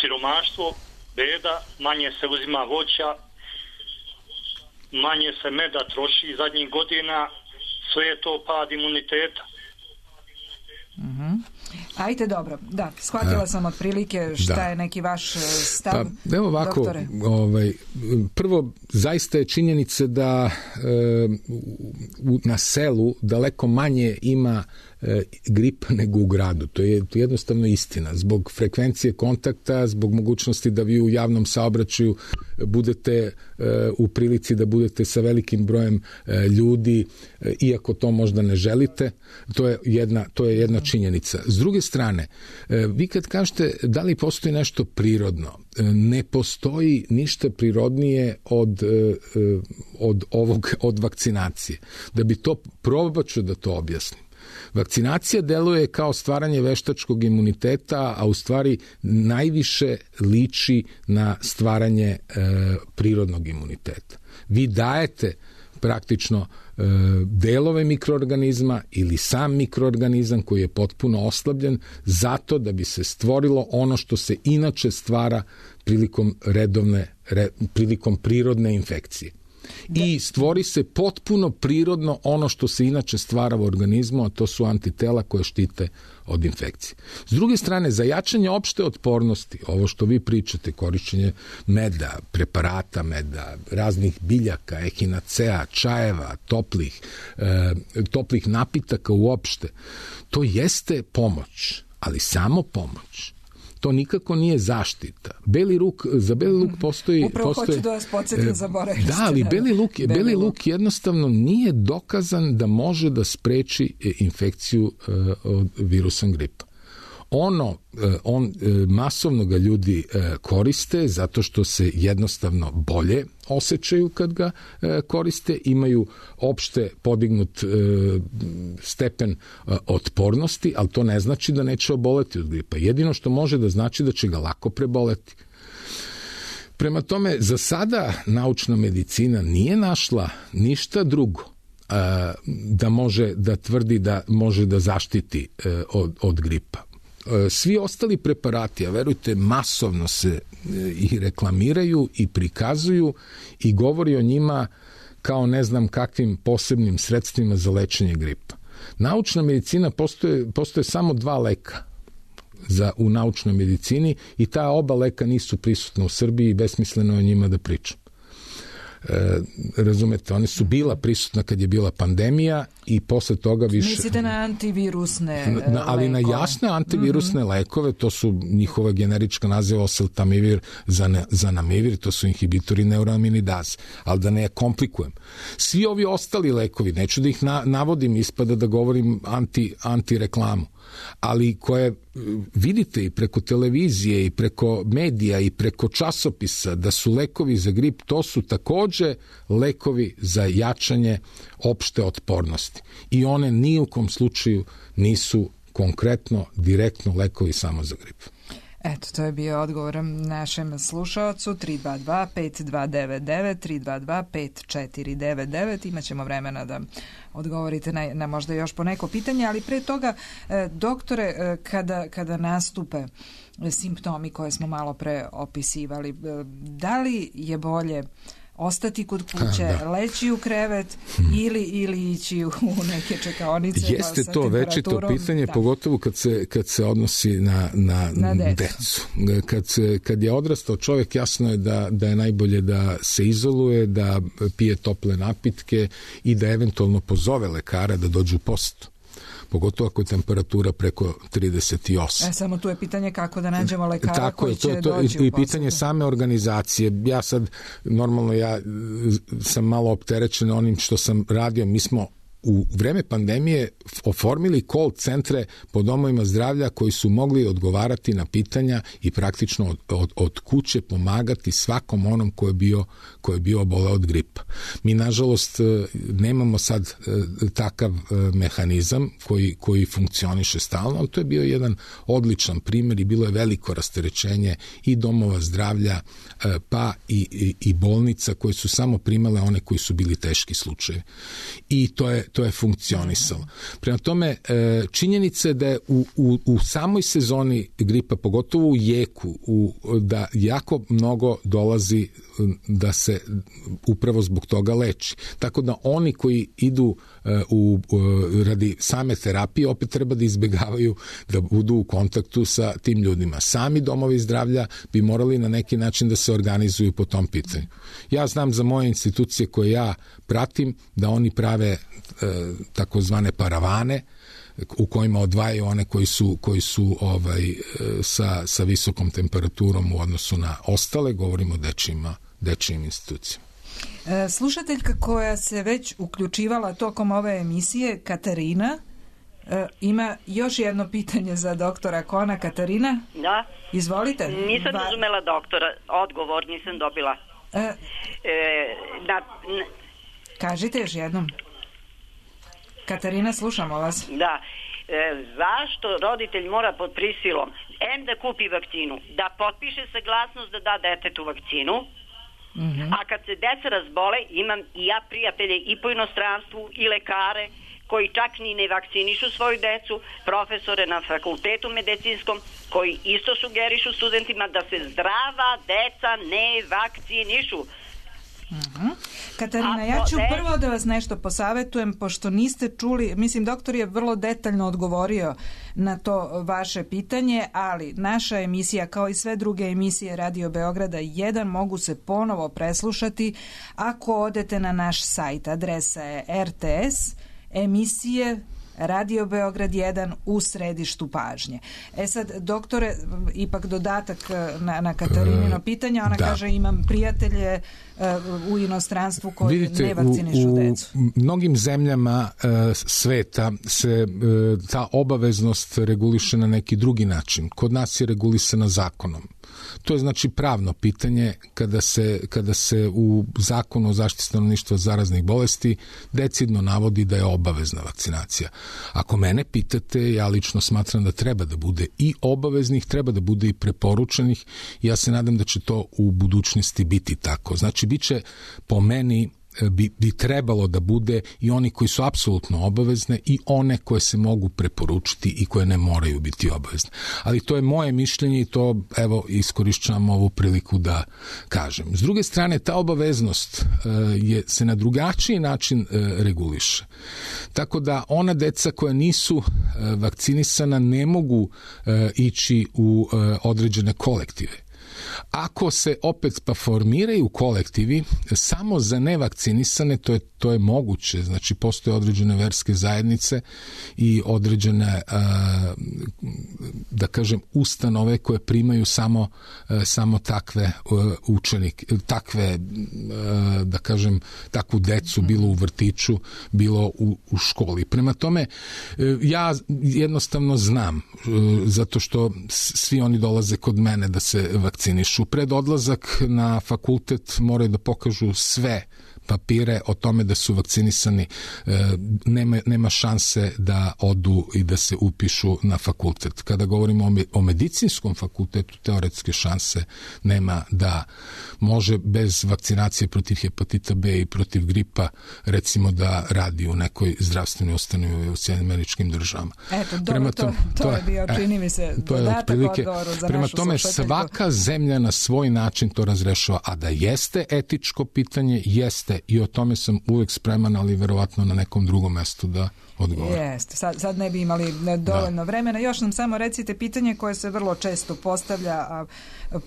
siromaštvo, beda, manje se uzima voća, manje se meda troši zadnjih godina, sve je to pad imuniteta. Ajde, dobro. Da, shvatila sam otprilike šta je neki vaš stav, evo ovako, doktore. Prvo, zaista je činjenica da na selu daleko manje ima gripa nego u gradu. To je jednostavno istina. Zbog frekvencije kontakta, zbog mogućnosti da vi u javnom saobraćaju budete u prilici da budete sa velikim brojem ljudi, iako to možda ne želite, to je jedna činjenica. S druge strane, vi kad kažete da li postoji nešto prirodno, ne postoji ništa prirodnije od vakcinacije. Da bi to probat ću da to objasnim. Vakcinacija deluje kao stvaranje veštačkog imuniteta, a u stvari najviše liči na stvaranje prirodnog imuniteta. Vi dajete praktično delove mikroorganizma ili sam mikroorganizam koji je potpuno oslabljen zato da bi se stvorilo ono što se inače stvara prilikom prirodne infekcije. I stvori se potpuno prirodno ono što se inače stvara u organizmu, a to su antitela koje štite od infekcije. S druge strane, za jačanje opšte otpornosti, ovo što vi pričate, korišćenje meda, preparata meda, raznih biljaka, ehinacea, čajeva, toplih napitaka uopšte, to jeste pomoć, ali samo pomoć. To nikako nije zaštita. Za beli luk postoji... Upravo hoću da vas podsjetim, zaboravili ste. Da, ali beli luk jednostavno nije dokazan da može da spreči infekciju od virusom gripa. Masovno ga ljudi koriste zato što se jednostavno bolje osjećaju kad ga koriste, imaju opšte podignut stepen otpornosti, ali to ne znači da neće oboleti od gripa. Jedino što može da znači da će ga lako preboleti. Prema tome, za sada naučna medicina nije našla ništa drugo da može da tvrdi da može da zaštiti od gripa. Svi ostali preparati, a verujte, masovno se i reklamiraju i prikazuju i govori o njima kao ne znam kakvim posebnim sredstvima za lečenje gripa. Naučna medicina, postoje samo 2 leka u naučnoj medicini i ta oba leka nisu prisutna u Srbiji i besmisleno je o njima da pričam. Razumete, one su bila prisutna kad je bila pandemija i posle toga više... Mislite na antivirusne lekove? Ali na jasne antivirusne lekove, to su njihova generička naziva oseltamivir, zanamivir, to su inhibitori neuroaminidaze, ali da ne komplikujem. Svi ovi ostali lekovi, neću da ih navodim, ispada da govorim anti-reklamu, ali koje vidite i preko televizije i preko medija i preko časopisa da su lekovi za grip, to su takođe lekovi za jačanje opšte otpornosti. I one ni u kom slučaju nisu konkretno, direktno lekovi samo za grip. Eto, to je bio odgovor našem slušaocu 322-5299, 322-5499. Imaćemo vremena da odgovorite na možda još po neko pitanje, ali pre toga, doktore, kada nastupe simptomi koje smo malo pre opisivali, da li je bolje ostati kod kuće, leći u krevet ili ići u neke čekaonice? Jeste to večito pitanje, pogotovo kad se odnosi na decu. Kad je odrastao čovjek, jasno je da je najbolje da se izoluje, da pije tople napitke i da eventualno pozove lekara da dođu u posetu. Pogotovo ako je temperatura preko 38. Samo tu je pitanje kako da nađemo lekara koji će doći u i pitanje same organizacije. Ja sam malo opterećen onim što sam radio. Mi smo u vreme pandemije oformili call centre po domovima zdravlja koji su mogli odgovarati na pitanja i praktično od kuće pomagati svakom onom ko je bio oboleo od gripa. Mi, nažalost, nemamo sad takav mehanizam koji funkcioniše stalno, ali to je bio jedan odličan primjer i bilo je veliko rasterećenje i domova zdravlja, pa i bolnica koje su samo primale one koji su bili teški slučajevi. I to je funkcionisalo. Prema tome, činjenica je da je u samoj sezoni gripa, pogotovo u jeku, da jako mnogo dolazi da se upravo zbog toga leči. Tako da oni koji idu radi same terapije opet treba da izbegavaju da budu u kontaktu sa tim ljudima. Sami domovi zdravlja bi morali na neki način da se organizuju po tom pitanju. Ja znam za moje institucije koje ja pratim da oni prave takozvane paravane u kojima odvajaju one koji su sa visokom temperaturom u odnosu na ostale, govorimo o dečijim institucijama. Slušateljka koja se već uključivala tokom ove emisije, Katarina, ima još jedno pitanje za doktora Kona. Katarina? Da. Izvolite. Nisam razumela doktora, odgovor nisam dobila. Kažite još jednom. Katarina, slušamo vas. Da. Zašto roditelj mora pod prisilom da kupi vakcinu, da potpiše saglasnost da da detetu vakcinu, a kad se deca razbole, imam i ja prijatelje i po inostranstvu i lekare koji čak ni ne vakcinišu svoju decu, profesore na fakultetu medicinskom koji isto sugerišu studentima da se zdrava deca ne vakcinišu. Katarina, ja ću prvo da vas nešto posavetujem, pošto niste čuli, mislim, doktor je vrlo detaljno odgovorio na to vaše pitanje, ali naša emisija, kao i sve druge emisije Radio Beograda 1, mogu se ponovo preslušati ako odete na naš sajt. Adresa je RTS, emisije Radio Beograd 1 u središtu pažnje. Sad, doktore, ipak dodatak na Katarinino pitanje, ona kaže imam prijatelje u inostranstvu koji ne vakcinišu decu. U mnogim zemljama sveta se ta obaveznost reguliše na neki drugi način. Kod nas je regulisana zakonom. To je znači pravno pitanje kada se u zakonu o zaštiti stanovništva od zaraznih bolesti decidno navodi da je obavezna vakcinacija. Ako mene pitate, ja lično smatram da treba da bude i obaveznih, treba da bude i preporučenih. Ja se nadam da će to u budućnosti biti tako. Znači, bit će po meni bi trebalo da bude i oni koji su apsolutno obavezne i one koje se mogu preporučiti i koje ne moraju biti obavezne. Ali to je moje mišljenje i to, evo, iskorišćavam ovu priliku da kažem. S druge strane, ta obaveznost se na drugačiji način reguliše. Tako da ona deca koja nisu vakcinisana ne mogu ići u određene kolektive. Ako se opet pa formiraju kolektivi samo za nevakcinisane, to je moguće. Znači, postoje određene verske zajednice i određene, da kažem, ustanove koje primaju samo takve učenike, takve, da kažem, takvu decu, bilo u vrtiću, bilo u školi. Prema tome, ja jednostavno znam, zato što svi oni dolaze kod mene da se vakcinišu. Pred odlazak na fakultet moraju da pokažu sve papire o tome da su vakcinisani, nema šanse da odu i da se upišu na fakultet. Kada govorimo o medicinskom fakultetu, teoretske šanse nema da može bez vakcinacije protiv hepatita B i protiv gripa, recimo, da radi u nekoj zdravstvenoj ustanovi u Sjedinjenim Američkim Državama. Eto, dobro, to je bio, čini mi se, dodatak odgovoru za našu Prema tome, svaka zemlja na svoj način to razrešava, a da jeste etičko pitanje, jeste, i o tome sam uvek spreman, ali verovatno na nekom drugom mestu da odgovorim. Jeste, sad ne bi imali dovoljno vremena. Još nam samo recite pitanje koje se vrlo često postavlja, a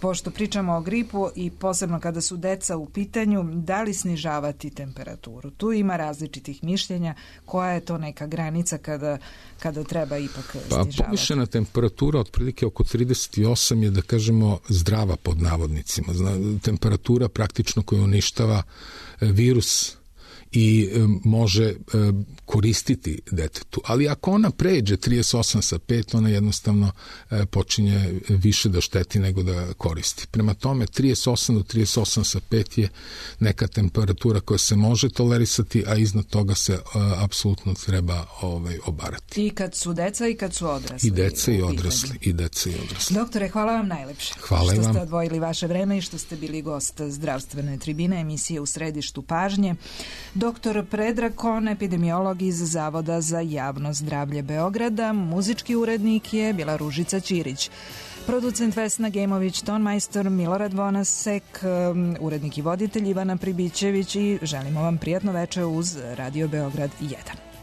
pošto pričamo o gripu i posebno kada su deca u pitanju, da li snižavati temperaturu? Tu ima različitih mišljenja. Koja je to neka granica kada treba ipak snižavati? Povišena temperatura otprilike oko 38 je, da kažemo, zdrava pod navodnicima. Temperatura praktično koja uništava virus i može koristiti detetu. Ali ako ona pređe 38 sa 5, ona jednostavno počinje više da šteti nego da koristi. Prema tome, 38 do 38 sa 5 je neka temperatura koja se može tolerisati, a iznad toga se apsolutno treba obarati. I kad su deca i kad su odrasli. I deca i odrasli. Doktore, hvala vam najlepše. Hvala vam. Što ste odvojili vaše vreme i što ste bili gost zdravstvene tribine, emisije u središtu pažnje. Doktor Predrag Kon, epidemiolog iz Zavoda za javno zdravlje Beograda, muzički urednik je bila Ružica Ćirić. Producent Vesna Gemović, tonmajstor Milorad Vonasek, urednik i voditelj Ivana Pribićević i želimo vam prijatno veče uz Radio Beograd 1.